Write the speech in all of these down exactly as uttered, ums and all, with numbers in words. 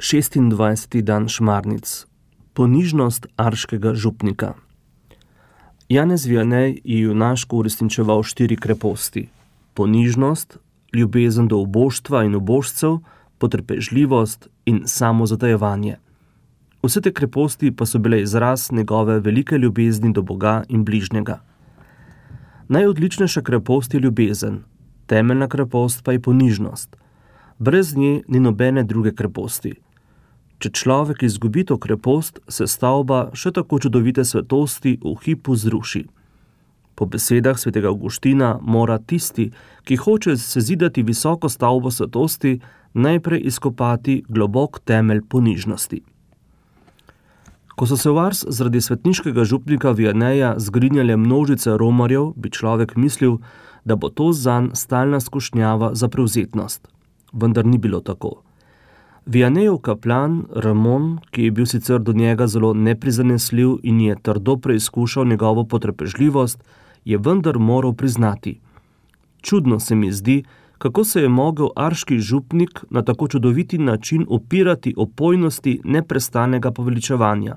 šestindvajseti dan Šmarnic. Ponižnost arškega župnika. Janez Vianney je junaško uresničeval štiri kreposti. Ponižnost, ljubezen do uboštva in ubožcev, potrpežljivost in samozatajevanje. Vse te kreposti pa so bile izraz njegove velike ljubezni do Boga in bližnjega. Najodličnejša krepost je ljubezen, temeljna krepost pa je ponižnost. Brez nje ni nobene druge kreposti. Če človek izgubi to krepost, se stavba še tako čudovite svetosti v hipu zruši. Po besedah svetega Avguština mora tisti, ki hoče sezidati visoko stavbo svetosti, najprej izkopati globok temelj ponižnosti. Ko so se v Ars zaradi svetniškega župnika Vianneyja zgrinjale množice romarjev, bi človek mislil, da bo to zanj stalna skušnjava za prevzetnost. Vendar ni bilo tako. Vianneyjev kaplan Ramon, ki je bil sicer do njega zelo neprizanesljiv in je trdo preizkušal njegovo potrpežljivost, je vendar moral priznati. Čudno se mi zdi, kako se je mogel arški župnik na tako čudoviti način upirati opojnosti neprestanega poveličevanja.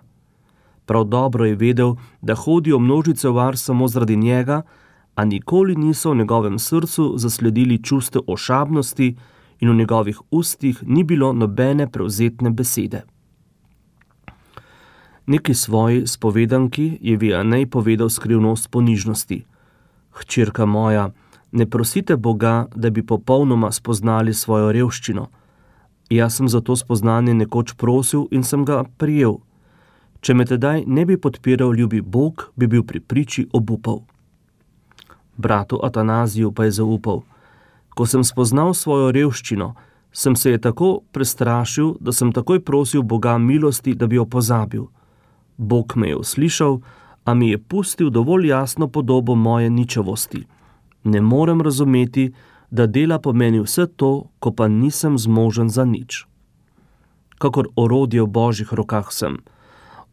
Prav dobro je vedel, da hodijo množice v Ars samo zaradi njega, a nikoli niso v njegovem srcu zasledili čustev ošabnosti in v njegovih ustih ni bilo nobene prevzetne besede. Neki svoji spovedanki je Vianney povedal skrivnost ponižnosti. Hčerka moja, ne prosite Boga, da bi popolnoma spoznali svojo revščino. Jaz sem za to spoznanje nekoč prosil in sem ga prijel. Če me tedaj ne bi podpiral ljubi Bog, bi bil pri priči obupal. Bratu Atanaziju pa je zaupal. Ko sem spoznal svojo revščino, sem se je tako prestrašil, da sem takoj prosil Boga milosti, da bi jo pozabil. Bog me je uslišal, a mi je pustil dovolj jasno podobo moje ničavosti. Ne morem razumeti, da dela po meni vse to, ko pa nisem zmožen za nič. Kakor orodje v Božjih rokah sem.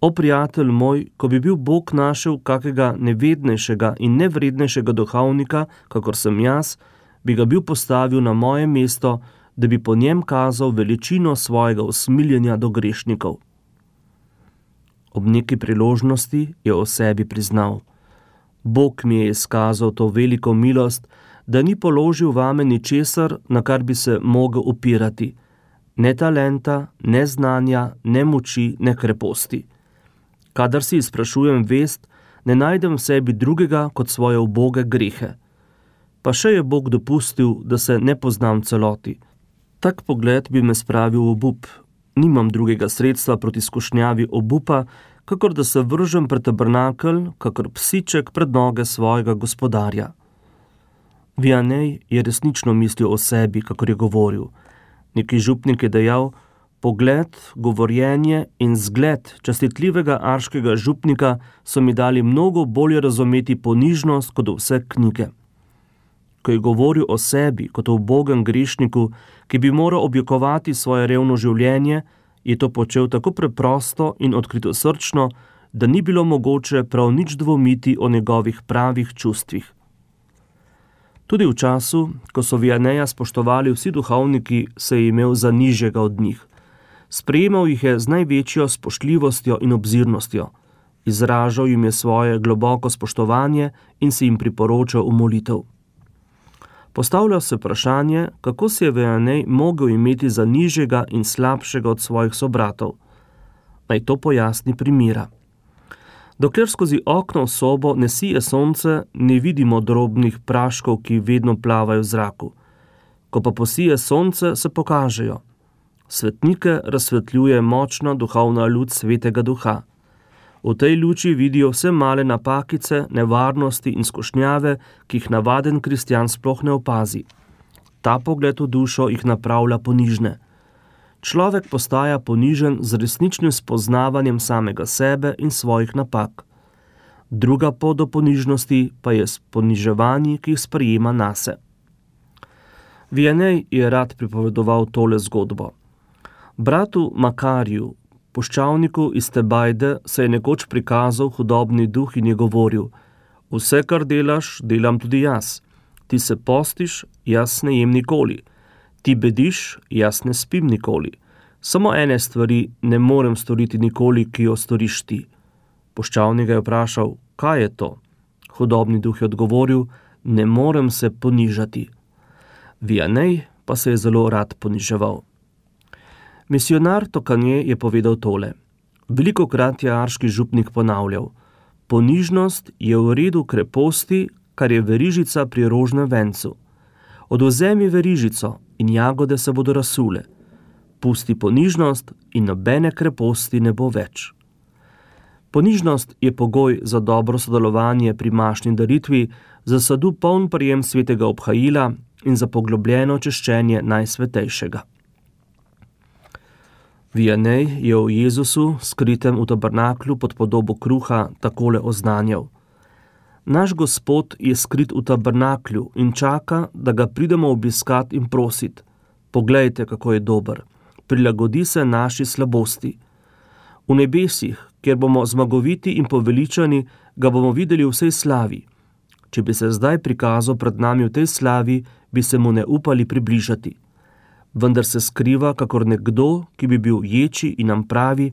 O, prijatelj moj, ko bi bil Bog našel kakega nevednejšega in nevrednejšega duhovnika, kakor sem jaz, bi ga bil postavil na moje mesto, da bi po njem kazal veličino svojega usmiljenja do grešnikov. Ob neki priložnosti je o sebi priznal. Bog mi je izkazal to veliko milost, da ni položil vame ničesar, na kar bi se mogel upirati. Ne talenta, ne znanja, ne moči, ne kreposti. Kadar si izprašujem vest, ne najdem v sebi drugega kot svoje uboge grehe. Pa še je Bog dopustil, da se ne poznam celoti. Tak pogled bi me spravil v obup. Nimam drugega sredstva proti skušnjavi obupa, kakor da se vržem pred tabernakelj, kakor psiček pred noge svojega gospodarja. Vianney je resnično mislil o sebi, kakor je govoril. Neki župnik je dejal, pogled, govorjenje in zgled častitljivega arškega župnika so mi dali mnogo bolje razumeti ponižnost kot vse knjige. Ko je govoril o sebi kot o ubogem grešniku, ki bi moral objokovati svoje revno življenje, je to počel tako preprosto in odkritosrčno, da ni bilo mogoče prav nič dvomiti o njegovih pravih čustvih. Tudi v času, ko so Vianneyja spoštovali vsi duhovniki, se je imel za nižjega od njih. Sprejemal jih je z največjo spoštljivostjo in obzirnostjo. Izražal jim je svoje globoko spoštovanje in se jim priporočal v molitev. Postavlja se vprašanje, kako se je Vianney mogel imeti za nižjega in slabšega od svojih sobratov. Naj to pojasni primera. Dokler skozi okno v sobo ne sije sonce, ne vidimo drobnih praškov, ki vedno plavajo v zraku. Ko pa posije sonce, se pokažejo. Svetnike razsvetljuje močna duhovna luč svetega duha. V tej luči vidijo vse male napakice, nevarnosti in skušnjave, ki jih navaden kristjan sploh ne opazi. Ta pogled v dušo jih napravlja ponižne. Človek postaja ponižen z resničnim spoznavanjem samega sebe in svojih napak. Druga pot do ponižnosti pa je s poniževanji, ki jih sprejema nase. Vianney je rad pripovedoval tole zgodbo. Bratu Makariju, puščavniku iz Tebajde, se je nekoč prikazal hudobni duh in je govoril: vse, kar delaš, delam tudi jaz. Ti se postiš, jaz ne jem nikoli. Ti bediš, jaz ne spim nikoli. Samo ene stvari ne morem storiti nikoli, ki jo storiš ti. Puščavnik ga je vprašal, kaj je to? Hudobni duh je odgovoril, ne morem se ponižati. Vianney pa se je zelo rad poniževal. Misionar Tokanje je povedal tole. Velikokrat je arški župnik ponavljal, ponižnost je v redu kreposti, kar je verižica pri rožnem vencu. Odvzemi verižico in jagode se bodo razsule. Pusti ponižnost in nobene kreposti ne bo več. Ponižnost je pogoj za dobro sodelovanje pri mašni daritvi, za sadu poln prijem svetega obhajila in za poglobljeno češčenje najsvetejšega. Vianney je o Jezusu, skritem v tabernaklu pod podobo kruha, takole oznanjal. Naš Gospod je skrit v tabernaklju in čaka, da ga pridemo obiskat in prosit. Poglejte, kako je dober. Prilagodi se naši slabosti. V nebesih, kjer bomo zmagoviti in poveličani, ga bomo videli v vsej slavi. Če bi se zdaj prikazal pred nami v tej slavi, bi se mu ne upali približati. Vendar se skriva, kakor nekdo, ki bi bil ječi in nam pravi,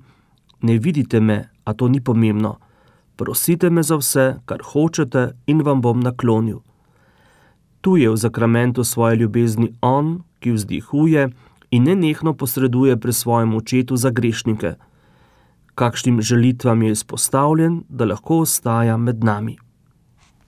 ne vidite me, a to ni pomembno. Prosite me za vse, kar hočete in vam bom naklonil. Tu je v zakramentu svoje ljubezni on, ki vzdihuje in nenehno posreduje pri svojem očetu za grešnike. Kakšnim žalitvam je izpostavljen, da lahko ostaja med nami.